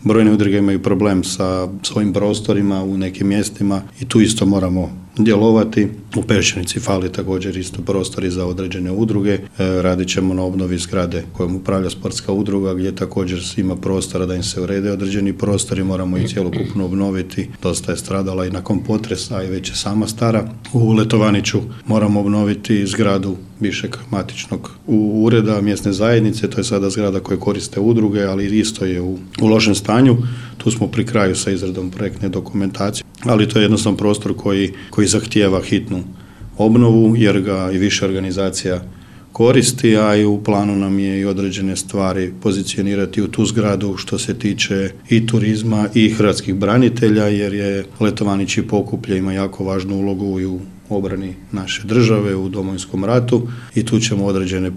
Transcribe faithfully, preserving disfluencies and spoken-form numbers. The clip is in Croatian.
brojne udruge imaju problem sa svojim prostorima u nekim mjestima i tu isto moramo djelovati. U Peščanici fali također isto prostori za određene udruge. E, radit ćemo na obnovi zgrade kojom upravlja sportska udruga gdje također ima prostora da im se urede određeni prostori, moramo i cjelokupno obnoviti. Dosta je stradala i nakon potresa i već je sama stara. U Letovaniću moramo obnoviti zgradu bivšeg matičnog ureda mjesne zajednice, to je sada zgrada koju koriste udruge, ali isto je u, u lošem stanju. Tu smo pri kraju sa izradom projektne dokumentacije, ali to je jednostavno prostor koji, koji zahtijeva hitnu obnovu jer ga i više organizacija koristi, a i u planu nam je i određene stvari pozicionirati u tu zgradu što se tiče i turizma i hrvatskih branitelja, jer je Letovanić i Pokuplje ima jako važnu ulogu i u obrani naše države u Domovinskom ratu i tu ćemo određene projekte